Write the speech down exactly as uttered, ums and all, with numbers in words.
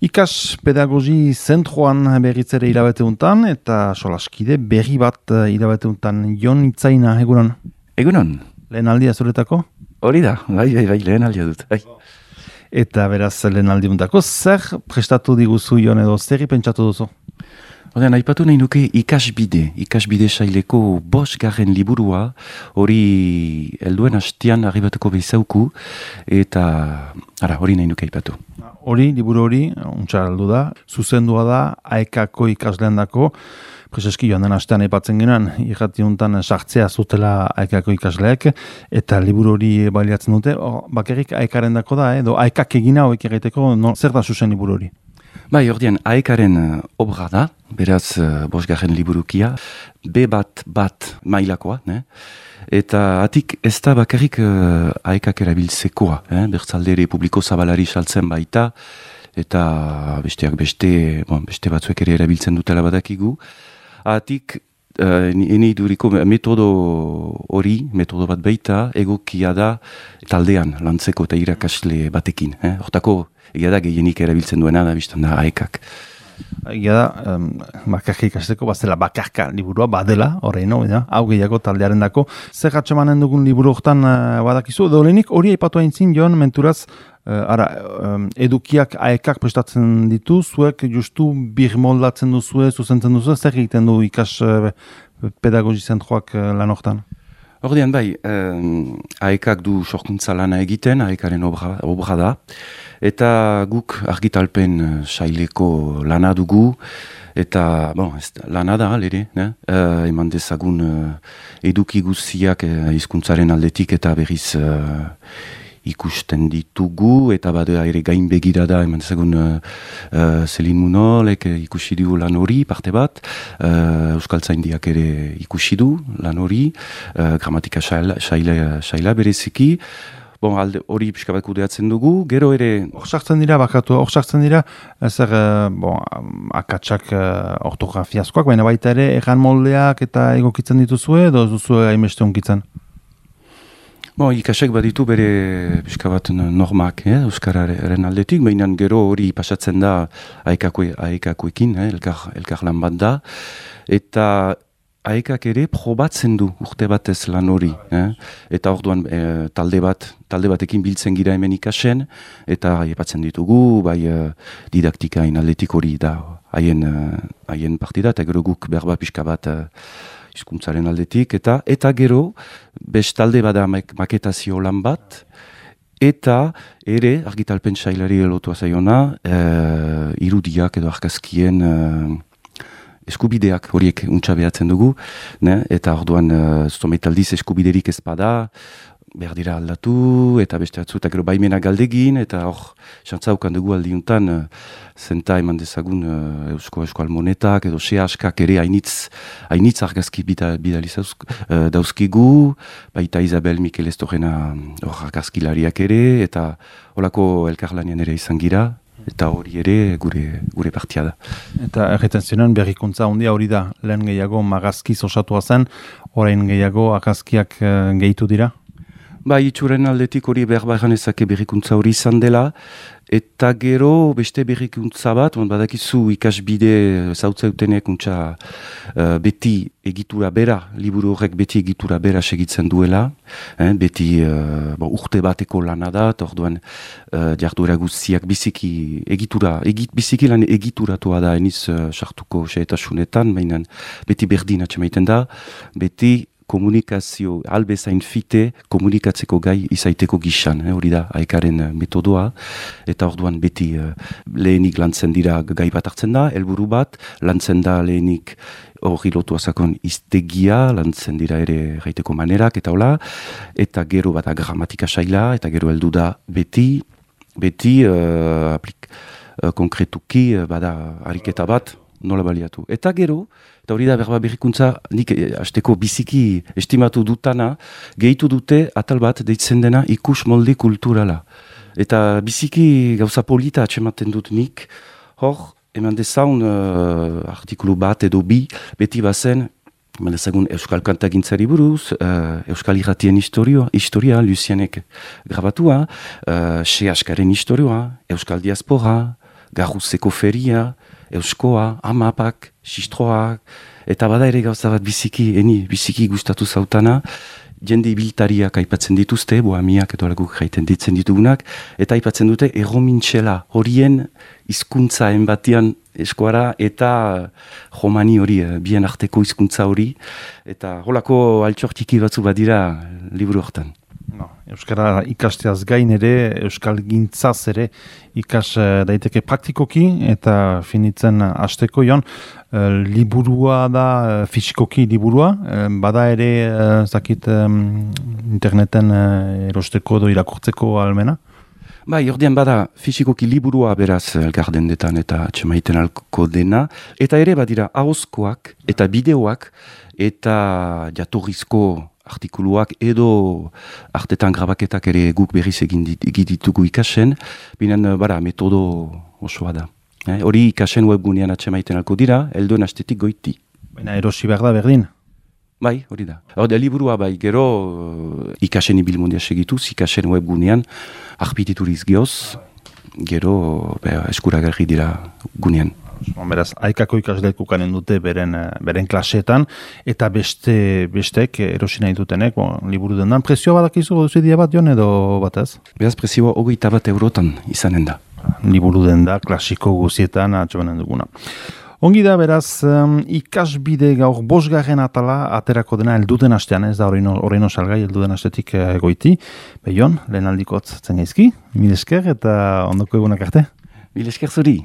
Ikas pedagogi zentroan berriz ere irabateuntan eta solaskide berri bat irabateuntan Jon Itzaina, egunon? Egunon. Lehen aldia zuretako? Hori da, bai, bai, bai, lehen aldia dut. Bai. Eta beraz lehen aldiuntako, zer prestatu diguzu Jon edo zerri pentsatu duzu? Odean, aipatu nahi nuke ikasbide, ikasbide saileko bos garren liburua, hori helduen hastian arribatuko bezauku, eta ara, hori nahi nuke aipatu. Hori, liburu hori, untsa aldu da, zuzendua da, aekako ikaslean dako, prezeski joan den hastean aipatzen genuen, irratiuntan sartzea zutela aekako ikasleek, eta liburu hori baliatzen dute, or, bakarrik aekaren dako da, edo aekak egina horiek egiteko, no, zer da zuzen liburu hori? Bai, ordean, aekaren uh, obra da, beraz uh, bosgarren liburukia, be bat bat mailakoa, ne? Eta atik ez da bakarrik uh, aekak erabiltzekoa, eh? Bertzalde ere publiko zabalari saltzen baita, eta besteak beste, bon, beste batzuek ere erabiltzen dutela badakigu. Atik, uh, ene iduriko metodo hori, metodo bat baita, egokia da taldean lantzeko eta irakasle batekin. Eh? Hortako, egia da gehienik erabiltzen duena da, biztan da aekak. Egia da, um, bakarka ikasteko, bazela bakarka liburua, badela, horrein, no, hau gehiago taldearen dako. Zer atxemanen dugun liburu hortan uh, badakizu, edo lehenik hori aipatu hain zin, Jon, menturaz, uh, ara, um, edukiak aekak prestatzen ditu, zuek justu bir moldatzen duzue, zuzentzen duzue, zer egiten du ikas uh, pedagogi zentroak uh, lan hortan? Ordean bai, um, aekak du sorkuntza lana egiten, aekaren obra, obra da, eta guk argitalpen uh, saileko lana dugu, eta bon, ez, lana da, lere, ne? Uh, eman dezagun uh, eduki guztiak uh, hizkuntzaren aldetik eta berriz uh, ikusten ditugu, eta badea ere gain begirada, eman dezagun uh, uh, Zelin Munolek ikusi du lan hori, parte bat, uh, Euskaltzaindiak ere ikusi du lan hori, uh, gramatika saila, saila, saila bereziki, bon, alde hori pixka bat kudeatzen dugu, gero ere... Hor sartzen dira, bakatu, hor sartzen dira, zer, uh, bon, akatsak uh, ortografiazkoak, baina baita ere, erran moldeak eta egokitzen dituzue, edo duzue haimeste onkitzen? Bon, ikasek baditu bere pixka bat normak, eh, euskararen aldetik, baina gero hori pasatzen da aekakoekin, eh, elkar, elkar lan bat da, eta aekak ere probatzen du urte batez lan hori, eh, eta orduan eh, talde bat, talde batekin biltzen gira hemen ikasen, eta aipatzen ditugu, bai eh, didaktikain aldetik hori da, haien eh, haien partida, eta gero guk berba pixka bat eh, hizkuntzaren aldetik, eta eta gero, bestalde bada maketazio lan bat, eta ere, argitalpen sailari lotua zaiona, e, irudiak edo argazkien e, eskubideak horiek untsa behatzen dugu, ne? Eta orduan, e, zometaldiz eskubiderik ez bada, behar dira aldatu, eta beste atzu, eta gero baimena galdegin, eta hor, xantzaukan dugu aldiuntan, uh, zenta eman dezagun uh, eusko euskal monetak, edo xe askak ere hainitz, hainitz argazki bidaliz uh, dauzkigu, baita Isabel Mikel Estorena hor argazkilariak ere, eta holako elkarlanean ere izan gira, eta hori ere gure gure partia da. Eta erretzen zionen berrikuntza handia hori da, lehen gehiago magazkiz osatua zen, orain gehiago argazkiak uh, gehitu dira? Ba, itxuren aldetik hori behar behar ezake berrikuntza hori izan dela, eta gero beste berrikuntza bat, badakizu ikasbide zautzeutenek untsa uh, beti egitura bera, liburu horrek beti egitura bera segitzen duela, eh, beti uh, bo, urte bateko lana da, eta orduan uh, jarduera guztiak biziki egitura, egit, biziki lan egituratua da, eniz uh, sartuko xeetasunetan, baina beti berdin atxemaiten da, beti komunikazio, albezain fite, komunikatzeko gai izaiteko gixan, eh, hori da, aekaren metodoa, eta orduan beti uh, lehenik lantzen dira gai bat hartzen da, helburu bat, lantzen da lehenik hori lotu azakon iztegia, lantzen dira ere gaiteko manerak, eta hola, eta gero bat gramatika saila, eta gero heldu da beti, beti uh, aplik, uh, konkretuki, uh, bada ariketa bat, nola baliatu. Eta gero, eta hori da berba berrikuntza, nik hasteko biziki estimatu dutana, gehitu dute atal bat deitzen dena ikus molde kulturala. Eta biziki gauza polita atxematen dut nik, hor, eman dezaun uh, artikulu bat edo bi, beti bazen, eman dezagun Euskal Kantagintzari buruz, uh, Euskal Irratien historia, historia Lucianek grabatua, uh, Xe Askaren historia, Euskal Diaspora, garruzeko feria, euskoa, amapak, sistroak, eta bada ere gauza bat biziki, eni biziki gustatu zautana, jende ibiltariak aipatzen dituzte, bohamiak edo alguk jaiten ditzen ditugunak, eta aipatzen dute erromintxela horien hizkuntza enbatian eskuara eta jomani hori, bien arteko hizkuntza hori, eta holako altxortiki batzu badira liburu hortan. No, Euskara ikasteaz gain ere, Euskal gintzaz ere ikas daiteke praktikoki eta finitzen hasteko jon, e, liburua da e, fisikoki liburua, e, bada ere e, zakit e, interneten e, erosteko edo irakurtzeko almena? Bai, ordean bada fisikoki liburua beraz elgardendetan eta atxemaiten alko dena, eta ere badira ahozkoak eta bideoak eta jatorrizko artikuluak edo artetan grabaketak ere guk berriz egin ditugu ikasen, binen bara metodo osoa da. Eh, hori ikasen webgunean atxemaiten alko dira, helduen astetik goiti. Baina erosi behar da berdin? Bai, hori da. Hori liburua bai, gero uh, ikasen ibilmundia segituz, ikasen webgunean arpitituriz geoz, gero be, eskuragarri dira gunean. Beraz, aikako ikasleek ukanen dute beren, beren klaseetan, eta beste bestek erosi nahi dutenek, bon, liburu dendan. Prezioa badakizu, duzidia bat jon edo batez? Beraz, prezioa hogeita bat eurotan izanen da. Liburu denda, klasiko guzietan atxobanen duguna. Ongi da, beraz, um, ikasbide gaur bosgarren atala aterako dena elduden astean, ez da horreino salgai elduden astetik uh, goiti. Behion, lehen aldikotz zen gaizki, mil esker eta ondoko egunak arte. Mil esker zuri.